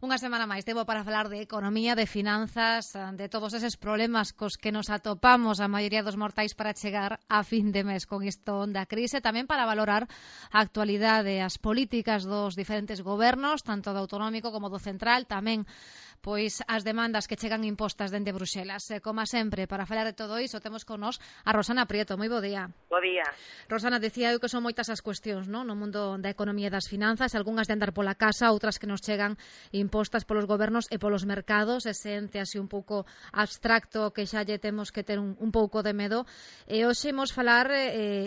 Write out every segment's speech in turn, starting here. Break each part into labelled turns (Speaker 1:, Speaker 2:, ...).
Speaker 1: Unha semana máis tempo para falar de economía, de finanzas, de todos eses problemas cos que nos atopamos a maioría dos mortais para chegar a fin de mes con isto da crise, tamén para valorar a actualidade, as políticas dos diferentes gobernos, tanto do autonómico como do central, tamén pois as demandas que chegan impostas dende Bruxelas. Como sempre, para falar de todo iso, temos con nós a Rosana Prieto. Moi bo día.
Speaker 2: Bo día.
Speaker 1: Rosana, decía eu que son moitas as cuestións, non? No mundo da economía e das finanzas, algunhas de andar pola casa, outras que nos chegan impostas polos gobernos e polos mercados, ese ente así un pouco abstracto que xa lle temos que ter un pouco de medo. E hoxe imos falar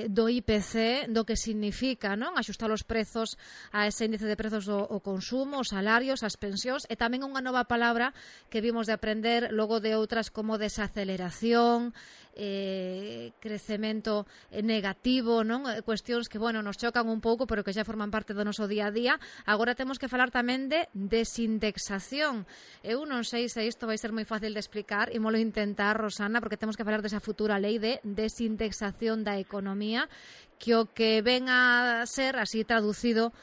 Speaker 1: do IPC, do que significa, non? Axustar os prezos a ese índice de prezos do consumo, os salarios, as pensións, e tamén unha nova palabra que vimos de aprender logo de outras como desaceleración, crecemento negativo, non? Cuestións que, bueno, nos chocan un pouco, pero que xa forman parte do noso día a día. Agora temos que falar tamén de desindexación. Eu non sei se isto vai ser moi fácil de explicar, e molo intentar, Rosana, porque temos que falar desa futura lei de desindexación da economía, que o que ven a ser, así traducido,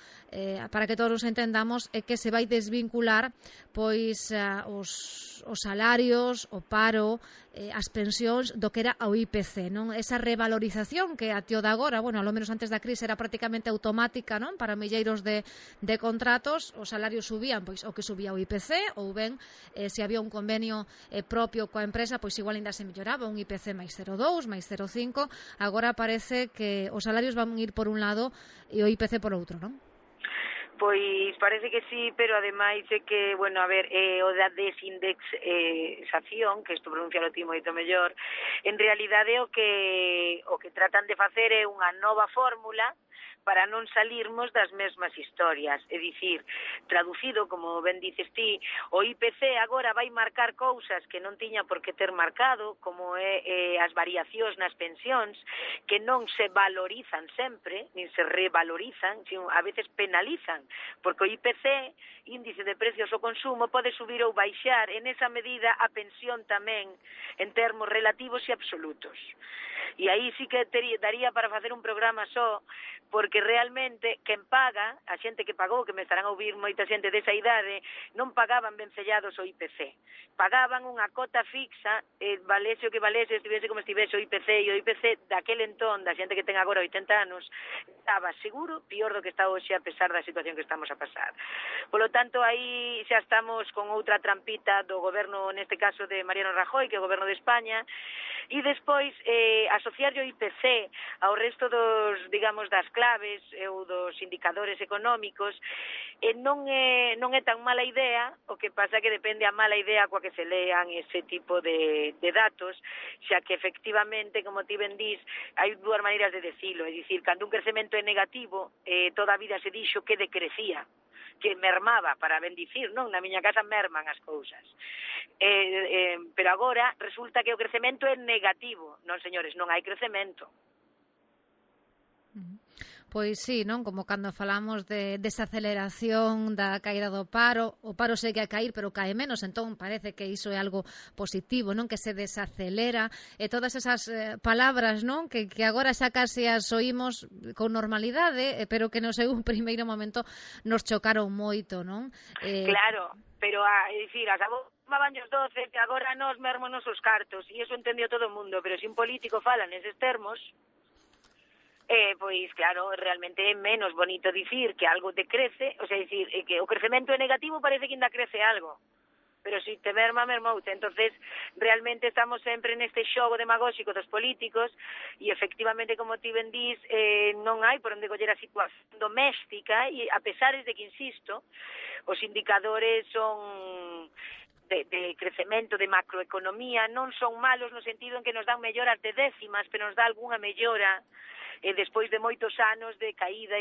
Speaker 1: para que todos nos entendamos, é que se vai desvincular pois os salarios, o paro, as pensións do que era o IPC, non? Esa revalorización que a tío de agora, bueno, ao menos antes da crise era prácticamente automática, non? Para milleiros de contratos, os salarios subían pois o que subía o IPC, ou ben se había un convenio propio coa empresa, pois igual ainda se melloraba un IPC máis 0,2, máis 0,5. Agora parece que os salarios van ir por un lado e o IPC por outro, non?
Speaker 2: Pois parece que sí, pero ademais é que, bueno, a ver, o da desindexación, que isto pronuncialo ti moito mellor, en realidade o que tratan de facer é unha nova fórmula para non salirmos das mesmas historias. É dicir, traducido, como ben dices ti, o IPC agora vai marcar cousas que non tiña por que ter marcado, como as variacións nas pensións, que non se valorizan sempre, nin se revalorizan, sino a veces penalizan, porque o IPC, índice de precios ao consumo, pode subir ou baixar, en esa medida a pensión tamén, en termos relativos e absolutos. E aí sí que daría para facer un programa só, porque realmente quen paga, a xente que pagou, que me estarán a ouvir moita xente desa idade, non pagaban vencellados o IPC. Pagaban unha cota fixa, valese o que valese, estivese como estivese o IPC, e o IPC daquel entón, da xente que ten agora 80 anos, estaba seguro pior do que está hoxe a pesar da situación que estamos a pasar. Polo tanto, aí xa estamos con outra trampita do goberno, neste caso de Mariano Rajoy, que é o goberno de España, e despois asociar o IPC ao resto dos, digamos, das claves ou dos indicadores económicos non é tan mala idea, o que pasa que depende a mala idea coa que se lean ese tipo de datos, xa que efectivamente, como ti ben dís, hai dúas maneiras de decilo, é dicir, cando un crecemento é negativo, toda a vida se dixo que decrecía, que mermaba, para ben dicir, non? Na miña casa merman as cousas. Pero agora resulta que o crecemento é negativo. Non, señores, non hai crecemento.
Speaker 1: Pois sí, non? Como cando falamos de desaceleración da caída do paro, o paro segue a cair, pero cae menos, entón parece que iso é algo positivo, non? Que se desacelera, e todas esas palabras, non? Que agora xa case as oímos con normalidade, pero que no seu primeiro momento nos chocaron moito, non?
Speaker 2: Claro, pero é dicir, as abomaban os 12, que agora nos mermonos os cartos, e iso entendió todo o mundo, pero se un político fala neses termos, pois claro, realmente é menos bonito dicir que algo te crece, o sea, dicir que o crecemento é negativo, parece que ainda crece algo, pero se te mermoute. Entonces realmente estamos sempre neste xogo demagóxico dos políticos, e efectivamente, como ti ben dís, non hai por onde coller a situación doméstica, e a pesar de que, insisto, os indicadores son de crecemento, de macroeconomía, non son malos no sentido en que nos dan melloras de décimas, pero nos dá algunha mellora despois de moitos anos de caída.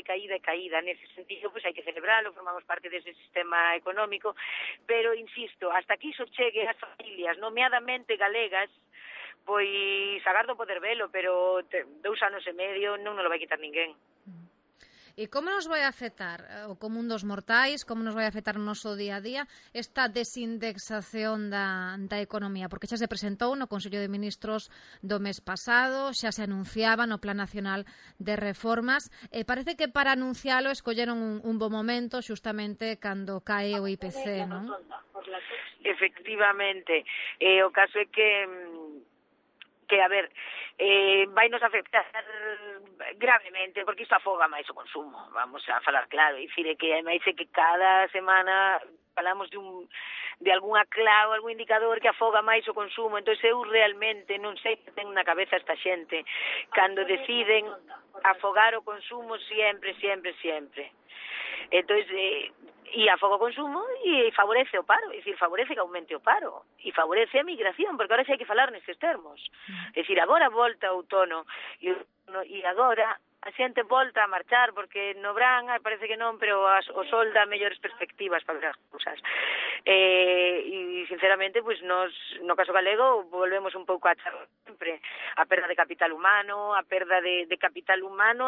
Speaker 2: Nese sentido, pois hai que celebralo, formamos parte dese sistema económico, pero, insisto, hasta aquí iso chegue as familias, nomeadamente galegas, pois agardo poder velo, pero 2 anos e medio non nos lo vai quitar ninguén.
Speaker 1: E como nos vai afectar o común dos mortais, como nos vai afectar o noso día a día esta desindexación da economía? Porque xa se presentou no Consello de Ministros do mes pasado, xa se anunciaba no Plan Nacional de Reformas, e parece que para anuncialo escolleron un bo momento xustamente cando cae o IPC, non?
Speaker 2: Efectivamente, o caso é que a ver, vai nos afectar gravemente, porque isto afoga máis o consumo, vamos a falar claro, dicir, que máis é que cada semana falamos de algunha clave, algún indicador que afoga máis o consumo, entón eu realmente non sei que ten na cabeza esta xente, cando deciden afogar o consumo sempre. Entón, e afoga o consumo e favorece o paro, é dicir, favorece que aumente o paro e favorece a migración, porque agora xa hai que falar nestes termos. É dicir, agora volta o outono e agora a xente volta a marchar, porque no verán parece que non, pero o sol dá mellores perspectivas para ver as cousas. E sinceramente, pois nos, no caso galego, volvemos un pouco a achar sempre a perda de capital humano,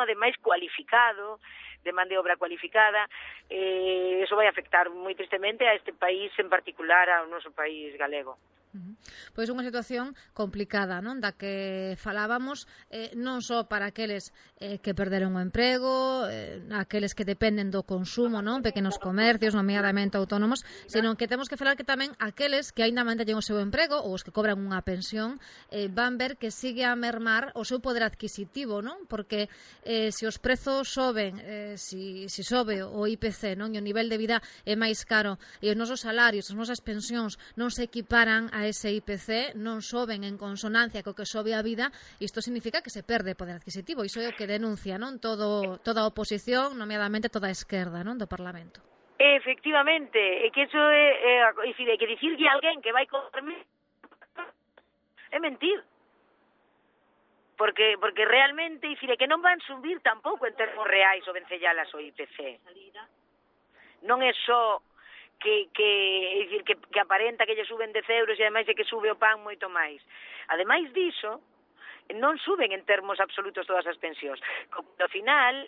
Speaker 2: ademais cualificado, de man de obra cualificada, eso vai afectar moi tristemente a este país, en particular ao noso país galego.
Speaker 1: Pois unha situación complicada, non? Da que falábamos, non só para aqueles que perderon o emprego, aqueles que dependen do consumo, non? Pequenos comercios, nomeadamente autónomos, senón que temos que falar que tamén aqueles que aínda manteñen o seu emprego ou os que cobran unha pensión van ver que sigue a mermar o seu poder adquisitivo, non? Porque se os prezos soben, se sobe o IPC, non? E o nivel de vida é máis caro e os nosos salarios, as nosas pensións non se equiparan a ese IPC, non soben en consonancia co que sobe a vida, isto significa que se perde poder adquisitivo. Iso é o que denuncia, non? Toda a oposición, nomeadamente toda a esquerda, non? Do Parlamento.
Speaker 2: Efectivamente, é que iso é que dicirlle a alguén que vai comer é mentir. Porque realmente, é que non van subir tampouco en termos reais o vencellalas o IPC. Non é só que aparenta que lle suben 10 euros e ademais é que sube o pan moito máis. Ademais diso, non suben en termos absolutos todas as pensións. Ao final,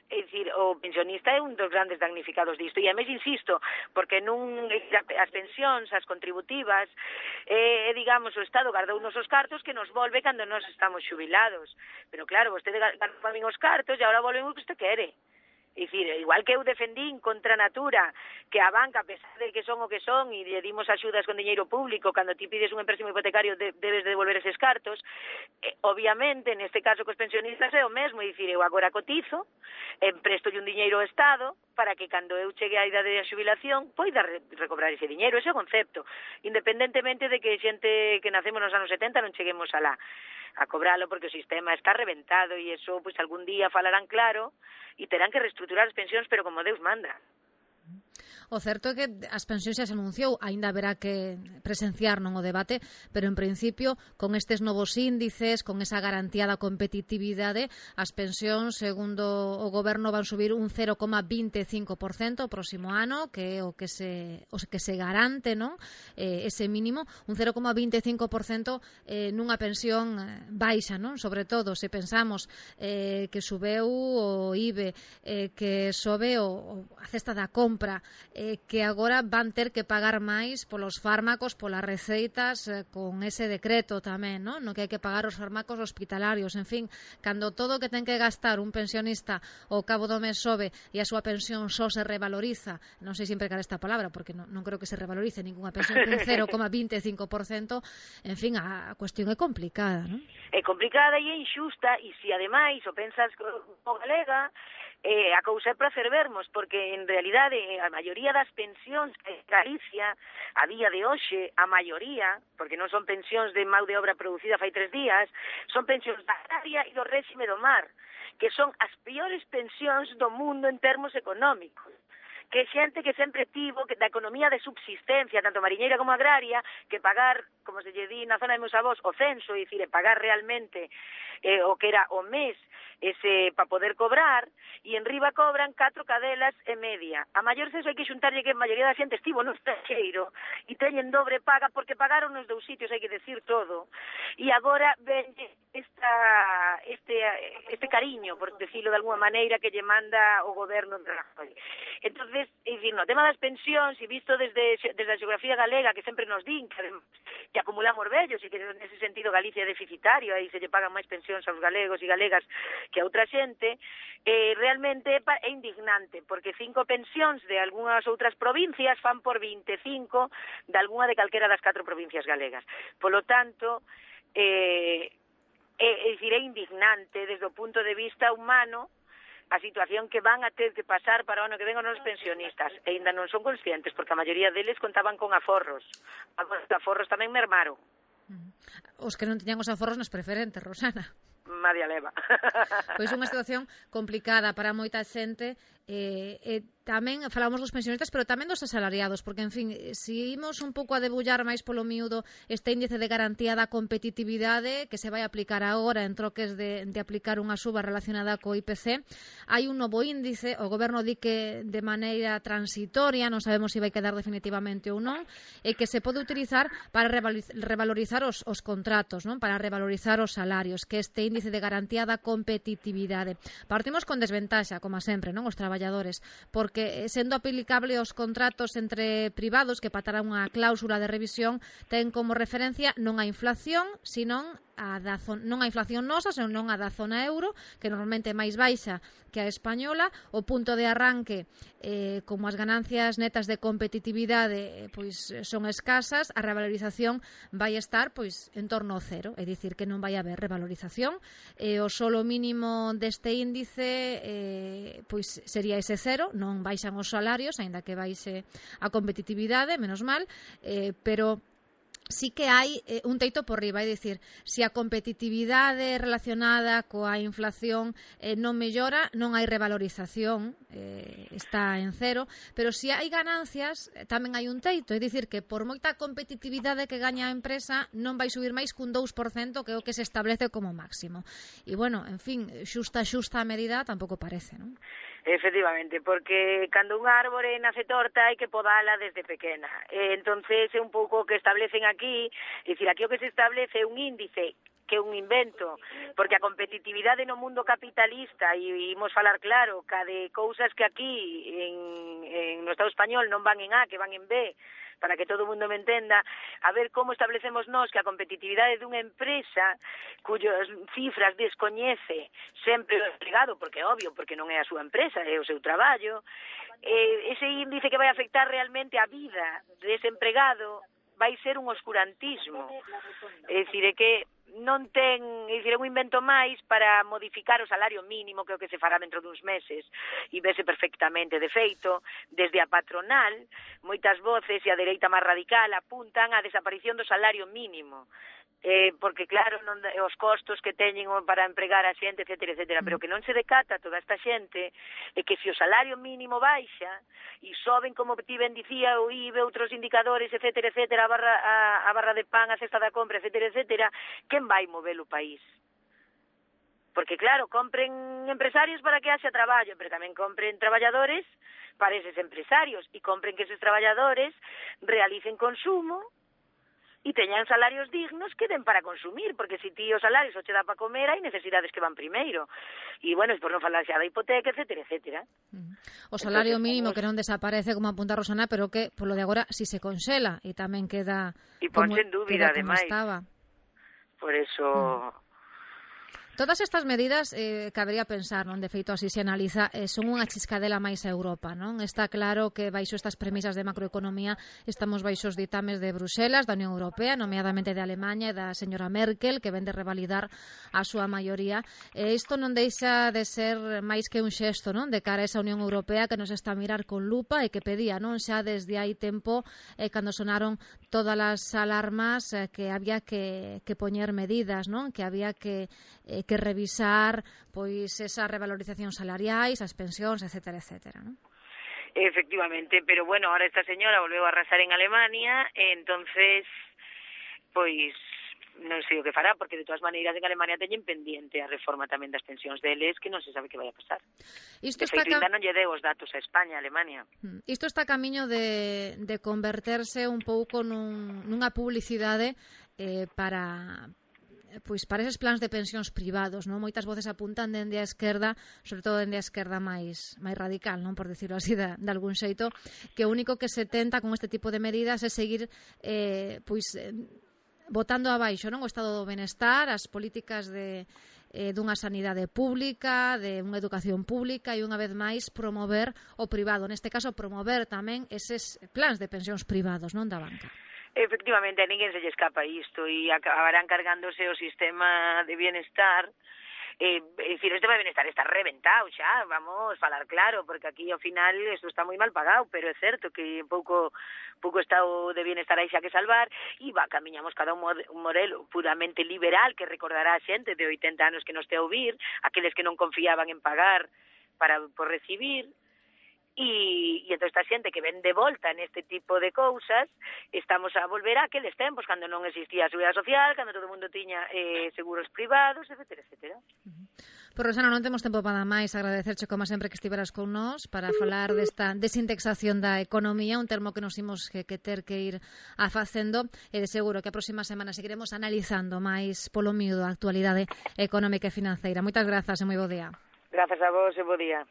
Speaker 2: o pensionista é un dos grandes damnificados disto. E ademais, insisto, porque as pensións, as contributivas, digamos, o Estado gardou nos os cartos que nos volve cando nos estamos xubilados. Pero claro, vostede gardou para min os cartos e agora volven o que usted quere. É dicir, igual que eu defendín contra a Natura, que a banca, a pesar de que son o que son, e lle dimos axudas con diñeiro público, cando ti pides un empréstimo hipotecario debes devolver eses cartos, obviamente, neste caso cos pensionistas é o mesmo, é dicir, eu agora cotizo, empresto un diñeiro ao Estado, para que cando eu chegue á idade de xubilación, poida recobrar ese diñeiro, ese é o concepto, independentemente de que xente que nacemos nos anos 70 non cheguemos alá a cobralo, porque o sistema está reventado e eso, pois algún día falarán claro e terán que reestruturar as pensións, pero como Deus manda.
Speaker 1: O certo é que as pensións xa se anunciou, aínda haberá que presenciar non o debate, pero en principio, con estes novos índices, con esa garantía da competitividade, as pensións, segundo o goberno, van subir un 0,25% o próximo ano, que é o que se garante, non? Ese mínimo, un 0,25% nunha pensión baixa, non? Sobre todo, se pensamos que subeu o IBE, que sobe a cesta da compra, que agora van ter que pagar máis polos fármacos, polas receitas, con ese decreto tamén, non? No que hai que pagar os fármacos hospitalarios, en fin, cando todo o que ten que gastar un pensionista ao cabo do mes sobe e a súa pensión só se revaloriza, non sei sempre cal esta palabra, porque non creo que se revalorice ninguna pensión un 0,25%, en fin, a cuestión é complicada, non?
Speaker 2: É complicada e é injusta, e se ademais o pensas como galega, a cousa é para fervermos, porque en realidade a maioría das pensións en Galicia a día de hoxe, a maioría, porque non son pensións de mão de obra producida fai 3 días, son pensións da agraria e do réxime do mar, que son as piores pensións do mundo en termos económicos, que xente que sempre tivo que da economía de subsistencia, tanto mariñeira como agraria, que pagar, como se lle di na zona de meus avós, o censo, é dicir, pagar realmente o que era o mes ese para poder cobrar, e en riba cobran 4 cadelas e media. A maior censo hai que xuntarlle que a maioría da xente estivo no estranxeiro e teñen dobre paga porque pagaron nos dous sitios, hai que decir todo. E agora ven este cariño, por decirlo de alguma maneira, que lle manda o goberno de Rajoy. Entonces, é dicir, no tema das pensións, e visto desde a xeografía galega, que sempre nos din que acumulamos vellos e que nese sentido Galicia é deficitario, aí se lle pagan máis pensións aos galegos e galegas que a outra xente, realmente é indignante, porque 5 pensións de algunhas outras provincias fan por 25 de algunha de calquera das 4 provincias galegas. Polo tanto, é indignante desde o punto de vista humano a situación que van a ter que pasar para o ano que ven os nosos pensionistas, e ainda non son conscientes, porque a maioría deles contaban con aforros. Agora, os aforros tamén mermaron.
Speaker 1: Os que non tiñan os aforros nos preferentes, Rosana.
Speaker 2: Madia leva.
Speaker 1: Pois unha situación complicada para moita xente. Tamén falamos dos pensionistas, pero tamén dos asalariados, porque, en fin, se imos un pouco a debullar máis polo miúdo este índice de garantía da competitividade que se vai aplicar agora en troques de aplicar unha suba relacionada co IPC, hai un novo índice, o goberno di que de maneira transitoria, non sabemos se vai quedar definitivamente ou non, e que se pode utilizar para revalorizar os contratos, non? Para revalorizar os salarios, que este índice de garantía da competitividade. Partimos con desventaxa, como sempre, non? Os traballadores, porque sendo aplicable aos contratos entre privados que patará unha cláusula de revisión, ten como referencia non a inflación, senón non a inflación nosa, senón a da zona euro, que normalmente é máis baixa que a española. O punto de arranque, como as ganancias netas de competitividade pois son escasas, a revalorización vai estar pois en torno ao cero, é dicir, que non vai haber revalorización. O solo mínimo deste índice pois sería ese cero, non baixan os salarios, aínda que baixe a competitividade, menos mal, pero sí que hai un teito por riba, é dicir, se a competitividade relacionada coa inflación non mellora, non hai revalorización, está en cero, pero se hai ganancias tamén hai un teito, é dicir, que por moita competitividade que gaña a empresa non vai subir máis cun 2%, que é o que se establece como máximo. E, bueno, en fin, xusta a medida tampouco parece, non?
Speaker 2: Efectivamente, porque cando unha árbore nace torta hai que podala desde pequena. Entonces é un pouco o que establecen aquí, é dicir, aquí o que se establece é un índice que é un invento, porque a competitividade no mundo capitalista, e imos falar claro, ca de cousas que aquí no Estado español non van en A, que van en B, para que todo o mundo me entenda, a ver como establecemos nós que a competitividade dunha empresa cuyas cifras descoñece sempre o empregado, porque é obvio, porque non é a súa empresa, é o seu traballo, ese índice que vai afectar realmente a vida dese empregado vai ser un oscurantismo. É dicir, é que non ten, é dicir, un invento máis para modificar o salario mínimo, que é o que se fará dentro duns meses, e vese perfectamente. De feito, desde a patronal, moitas voces e a dereita máis radical apuntan á desaparición do salario mínimo, porque claro, os costos que teñen para empregar a xente, etcétera, etcétera, pero que non se decata toda esta xente é que se o salario mínimo baixa e soben, como ti ben dicía, o IBE, outros indicadores, etcétera, etcétera, a barra de pan, a cesta da compra, etcétera, etcétera, quen vai mover o país? Porque claro, compren empresarios para que haxa traballo, pero tamén compren traballadores para eses empresarios, e compren que eses traballadores realicen consumo e teñan salarios dignos que den para consumir, porque se ti os salarios o che dá para comer, hai necesidades que van primeiro. E, bueno, por non falar xa da hipoteca, etcétera, etcétera.
Speaker 1: O salario mínimo que non desaparece, como apunta Rosana, pero que, polo de agora, si se conxela e tamén queda
Speaker 2: e ponse en dúbida, ademais. Por eso...
Speaker 1: Todas estas medidas, cabería pensar, non? De feito, así se analiza, son unha chiscadela máis a Europa, non? Está claro que baixo estas premisas de macroeconomía estamos baixo os ditames de Bruselas, da Unión Europea, nomeadamente de Alemanha e da señora Merkel, que ven de revalidar a súa maioría. Isto non deixa de ser máis que un xesto, non? De cara a esa Unión Europea que nos está a mirar con lupa e que pedía, non? Xa desde hai tempo, cando sonaron todas as alarmas, que había que poñer medidas, non? Que había que revisar pois esas revalorizacións salariais, as pensións, etcétera, etcétera, non?
Speaker 2: Efectivamente, pero bueno, ahora esta señora volveu a arrasar en Alemania, entonces, pois, non sei o que fará, porque de todas maneiras en Alemania teñen pendiente a reforma tamén das pensións deles, que non se sabe que vai a pasar.
Speaker 1: Isto
Speaker 2: de feito, ainda non lle deu os datos a España, a Alemania.
Speaker 1: Isto está a camiño de converterse un pouco nunha publicidade para eses plans de pensións privados, non? Moitas voces apuntan dende a esquerda, sobre todo dende a esquerda máis radical, non, por decirlo así de algún xeito, que o único que se tenta con este tipo de medidas é seguir botando abaixo, non, o estado do benestar, as políticas dunha sanidade pública, de unha educación pública e unha vez máis promover o privado, neste caso promover tamén eses plans de pensións privados, non, da banca.
Speaker 2: Efectivamente, a ninguén se lle escapa isto e acabarán cargándose o sistema de bienestar. Decir, este bienestar está reventado xa, vamos falar claro, porque aquí ao final isto está moi mal pagado, pero é certo que pouco estado de bienestar hai xa que salvar e camiñamos cada un modelo puramente liberal que recordará a xente de 80 anos que nos te a ouvir, aqueles que non confiaban en pagar por recibir. E entón esta xente que ven de volta neste tipo de cousas, estamos a volver a aqueles tempos cando non existía a seguridade social, cando todo o mundo tiña seguros privados, etcétera, etcétera.
Speaker 1: Pois, Rosana, non temos tempo para máis. Agradecerche, como sempre, que estiveras con nós para falar desta desindexación da economía, un termo que nos imos que ter que ir facendo, e de seguro que a próxima semana seguiremos analizando máis polo miúdo a actualidade económica e financeira. Moitas grazas e moi bo día.
Speaker 2: Grazas a vos e bo día.